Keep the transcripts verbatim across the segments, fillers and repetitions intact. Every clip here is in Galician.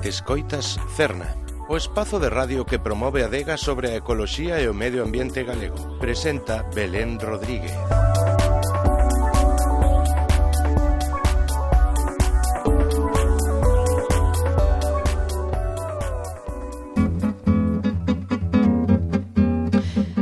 Escoitas Cerna, o espazo de radio que promove a adega sobre a ecoloxía e o medio ambiente galego. Presenta Belén Rodríguez.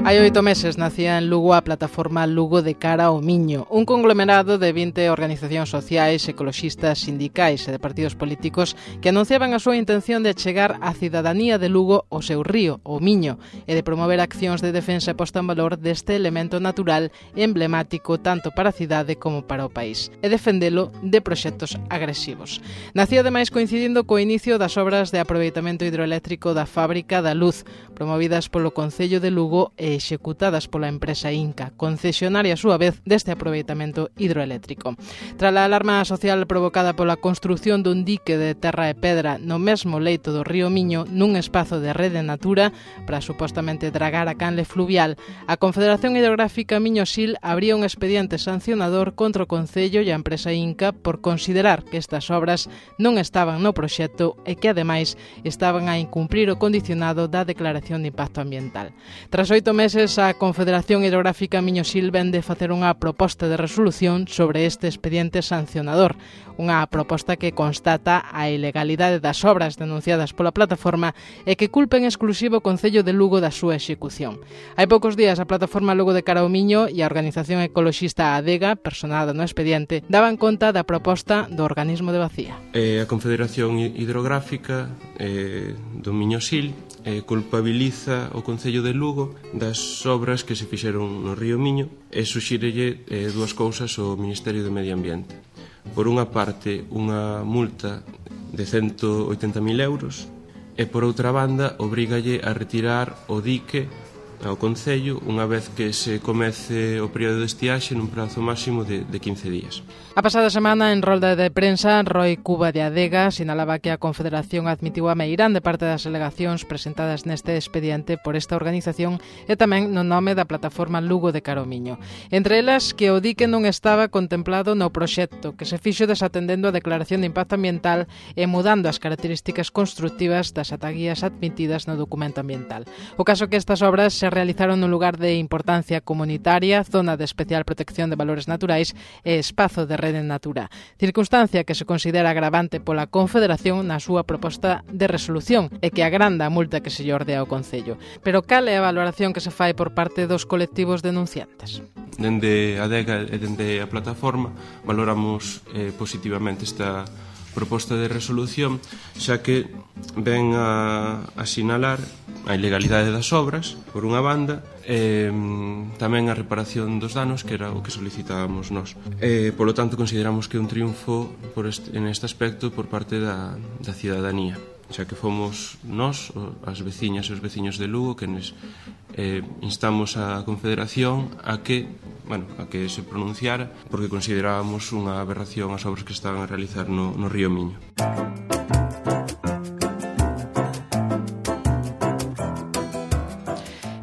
Hai oito meses nacía en Lugo a plataforma Lugo de Cara ao Miño, un conglomerado de vinte organizacións sociais, ecoloxistas, sindicais e de partidos políticos que anunciaban a súa intención de achegar á cidadanía de Lugo o seu río, o Miño, e de promover accións de defensa e posta en valor deste elemento natural emblemático tanto para a cidade como para o país, e defendelo de proxectos agresivos. Nacía ademais coincidindo co inicio das obras de aproveitamento hidroeléctrico da Fábrica da Luz, promovidas polo Concello de Lugo e executadas pola empresa Inca, concesionaria a súa vez deste aproveitamento hidroeléctrico. Tras a alarma social provocada pola construción dun dique de terra e pedra no mesmo leito do río Miño, nun espazo de rede natura para supostamente dragar a canle fluvial, a Confederación Hidrográfica Miño-Sil abría un expediente sancionador contra o Concello e a empresa Inca por considerar que estas obras non estaban no proxecto e que, ademais, estaban a incumprir o condicionado da Declaración de Impacto Ambiental. Tras oito meses, a Confederación Hidrográfica Miño-Sil vende facer unha proposta de resolución sobre este expediente sancionador, unha proposta que constata a ilegalidade das obras denunciadas pola plataforma e que culpa en exclusivo o Concello de Lugo da súa execución. Hai poucos días a plataforma Lugo de Cara ao Miño e a organización ecoloxista ADEGA, personada no expediente, daban conta da proposta do organismo de Bacía. Eh, a Confederación Hidrográfica eh, do Miño-Sil eh, culpabiliza o Concello de Lugo das obras que se fixeron no río Miño e suxírelle eh, dúas cousas ao Ministerio do Medio Ambiente. Por unha parte, unha multa de cento oitenta mil euros e, por outra banda, obrígalle a retirar o dique ao Concello unha vez que se comece o período de estiaxe nun prazo máximo de, de quince días. A pasada semana, en rolda de prensa, Roi Cuba de Adega sinalaba que a Confederación admitiu a meirán de parte das alegacións presentadas neste expediente por esta organización e tamén no nome da plataforma Lugo de Cara ao Miño. Entre elas, que o dique non estaba contemplado no proxecto, que se fixo desatendendo a Declaración de Impacto Ambiental e mudando as características constructivas das ataguías admitidas no documento ambiental. O caso que estas obras se realizaron nun lugar de importancia comunitaria, zona de especial protección de valores naturais e espazo de rede natura, circunstancia que se considera agravante pola Confederación na súa proposta de resolución e que agranda a multa que se lle ordea ao Concello. Pero cal é a valoración que se fai por parte dos colectivos denunciantes? Dende a ADEGA e dende a plataforma valoramos eh, positivamente esta proposta de resolución, xa que ven a, a sinalar a ilegalidade das obras, por unha banda, e tamén a reparación dos danos, que era o que solicitábamos nós. E, polo tanto, consideramos que é un triunfo por este, en este aspecto por parte da, da cidadanía, xa que fomos nós, as veciñas e os veciños de Lugo, que nos eh, instamos a Confederación a que bueno, a que se pronunciara, porque considerábamos unha aberración as obras que estaban a realizar no, no río Miño.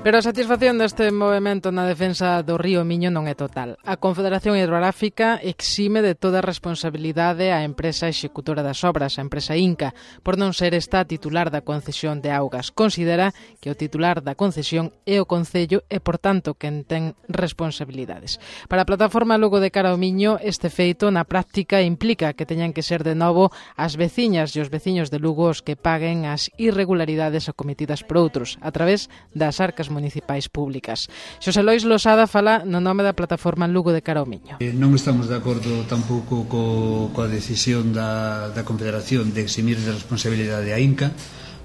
Pero a satisfacción deste movemento na defensa do río Miño non é total. A Confederación Hidrográfica exime de toda responsabilidade a empresa executora das obras, a empresa Inca, por non ser esta titular da concesión de augas. Considera que o titular da concesión é o Concello e, por tanto, quen ten responsabilidades. Para a plataforma Lugo de Cara ao Miño, este feito na práctica implica que teñan que ser de novo as veciñas e os veciños de Lugo os que paguen as irregularidades acometidas por outros, a través das arcas municipais públicas. Xosé Lois Losada fala no nome da plataforma Lugo de Cara ao Miño. Eh, non estamos de acordo tampouco co, coa decisión da, da Confederación de eximir de responsabilidade a Inca,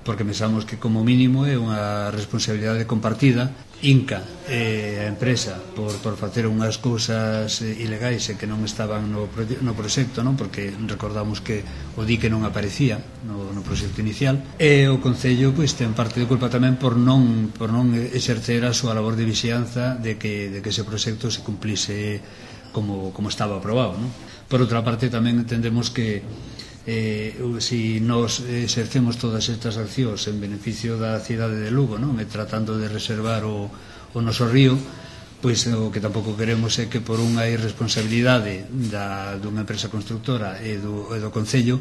porque pensamos que como mínimo é unha responsabilidade compartida. Inca e a empresa por, por facer unhas cousas ilegais e que non estaban no, no proxecto, non? Porque recordamos que o dique non aparecía no, no proxecto inicial, e o Concello pois, ten parte de culpa tamén por non, por non exercer a súa labor de vixianza de que, de que ese proxecto se cumplise como, como estaba aprobado, non? Por outra parte tamén entendemos que Eh, si nos exercemos todas estas accións en beneficio da cidade de Lugo, non? E tratando de reservar o, o noso río, pois o que tampouco queremos é que por unha irresponsabilidade da, dunha empresa constructora e do, e do Concello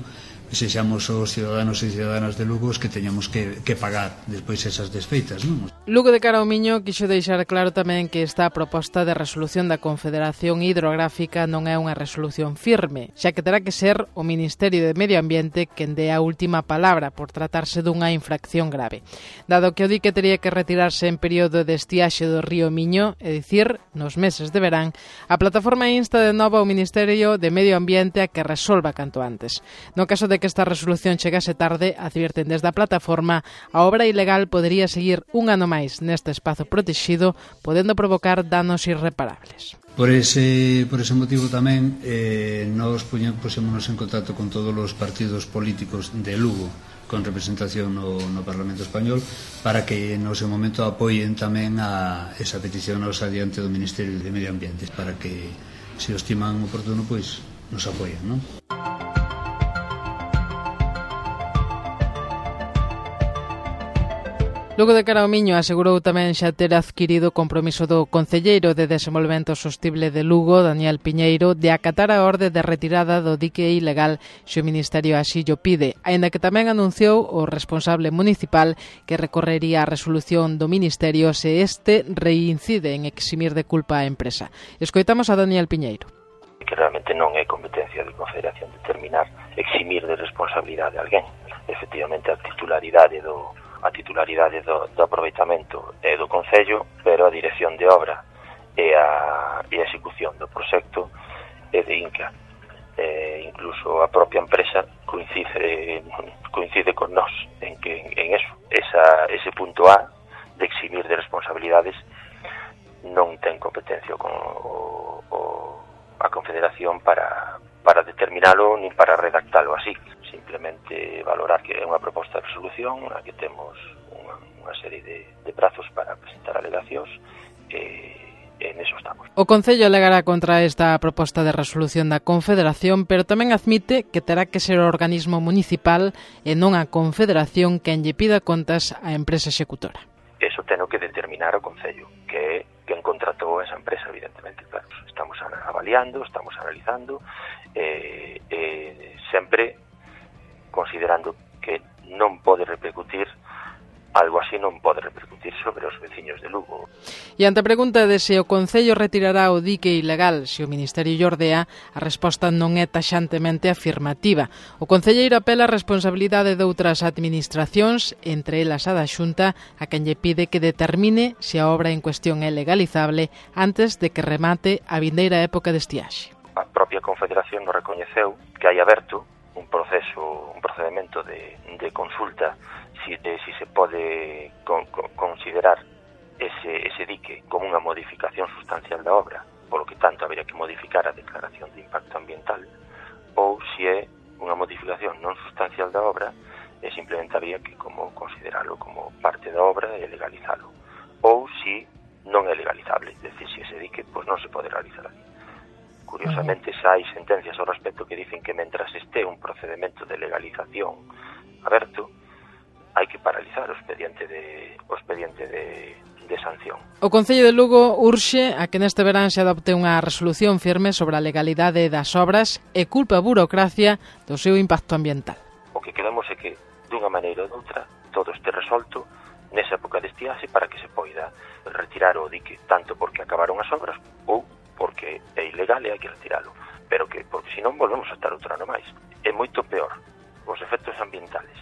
sexamos os cidadanos e cidadanas de Lugo os que teñamos que, que pagar despois esas desfeitas, non? Lugo de Cara ao Miño quixo deixar claro tamén que esta proposta de resolución da Confederación Hidrográfica non é unha resolución firme, xa que terá que ser o Ministerio de Medio Ambiente quen dé a última palabra por tratarse dunha infracción grave. Dado que o dique tería que retirarse en período de estiaxe do río Miño, é dicir, nos meses de verán, a plataforma insta de novo ao Ministerio de Medio Ambiente a que resolva canto antes. No caso de que esta resolución chegase tarde, advierten desde a plataforma, a obra ilegal podería seguir un ano máis neste espazo protexido, podendo provocar danos irreparables. Por ese, por ese motivo tamén eh, nos puxémonos en contacto con todos os partidos políticos de Lugo con representación no, no Parlamento Español para que no seu momento apoien tamén a esa petición nosa diante do Ministerio de Medio Ambiente para que, se o estiman oportuno, pois nos apoien, non? Lugo de Cara ao Miño asegurou tamén xa ter adquirido o compromiso do Concelleiro de Desenvolvemento Sostible de Lugo, Daniel Piñeiro, de acatar a orde de retirada do dique ilegal se o Ministerio así llo pide, aínda que tamén anunciou o responsable municipal que recorrería a resolución do Ministerio se este reincide en eximir de culpa a empresa. Escoitamos a Daniel Piñeiro. Que realmente non é competencia de Confederación determinar eximir de responsabilidade a alguén. Efectivamente, a titularidade do a titularidade do, do aproveitamento é do Concello, pero a dirección de obra e a, e a execución do proxecto é de Inca. Eh, incluso a propia empresa coincide coincide con nós en que en, en eso, esa, ese punto A de eximir de responsabilidades non ten competencia con o, o, a Confederación para, para determinalo nin para redactalo así. Simplemente valorar que é unha proposta de resolución na que temos unha, unha serie de, de prazos para presentar alegacións e, e neso estamos. O Concello alegará contra esta proposta de resolución da Confederación, pero tamén admite que terá que ser o organismo municipal e non a Confederación quen lle pida contas á empresa executora. Eso teno que determinar o Concello, que é quen contratou esa empresa, evidentemente, claro. Estamos avaliando, estamos analizando, e eh, eh, sempre considerando que non pode repercutir, algo así non pode repercutir sobre os veciños de Lugo. E ante a pregunta de se o Concello retirará o dique ilegal se o Ministerio lle ordea, a resposta non é taxantemente afirmativa. O concelleiro apela a responsabilidade de outras administracións, entre elas a da Xunta, a quen lle pide que determine se a obra en cuestión é legalizable antes de que remate a vindeira época de estiaxe. A propia Confederación nos recoñeceu que hai aberto un proceso, un procedimento de, de consulta si, de si se pode con, con, considerar ese, ese dique como unha modificación sustancial da obra, polo que tanto habería que modificar a declaración de impacto ambiental, ou si é unha modificación non sustancial da obra e simplemente habría que como considerarlo como parte da obra e legalizalo, ou si non é legalizable, é dicir, si ese dique pois non se pode realizar ali. Curiosamente, xa hai sentencias ao respecto que dicen que mentras este un procedimento de legalización aberto, hai que paralizar o expediente de, o expediente de, de sanción. O Concello de Lugo urxe a que neste verán se adopte unha resolución firme sobre a legalidade das obras e culpa a burocracia do seu impacto ambiental. O que queremos é que, dunha maneira ou doutra, todo este resolto nesa época de estiaxe para que se poida retirar o dique, tanto porque acabaron as obras ou porque é ilegal e hai que retiralo, pero que, porque senón volvemos a estar outro ano máis. É moito peor os efectos ambientales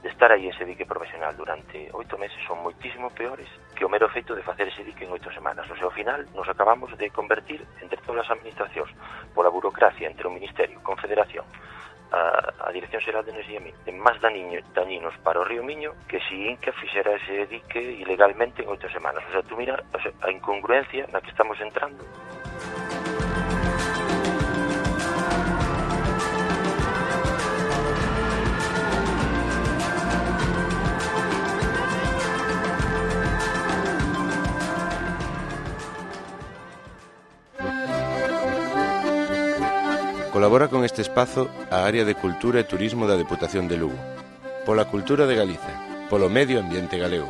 de estar aí ese dique profesional durante oito meses son moitísimo peores que o mero feito de facer ese dique en oito semanas. O sea, ao final nos acabamos de convertir entre todas as administracións pola burocracia entre o Ministerio, Confederación, a, a Dirección Xeral de Enerxía en máis dañinos para o río Miño que si Inca fixera ese dique ilegalmente en oito semanas. O sea, tú mira o sea, a incongruencia na que estamos entrando. Colabora con este espazo a Área de Cultura e Turismo da Deputación de Lugo. Pola cultura de Galiza, polo medio ambiente galego.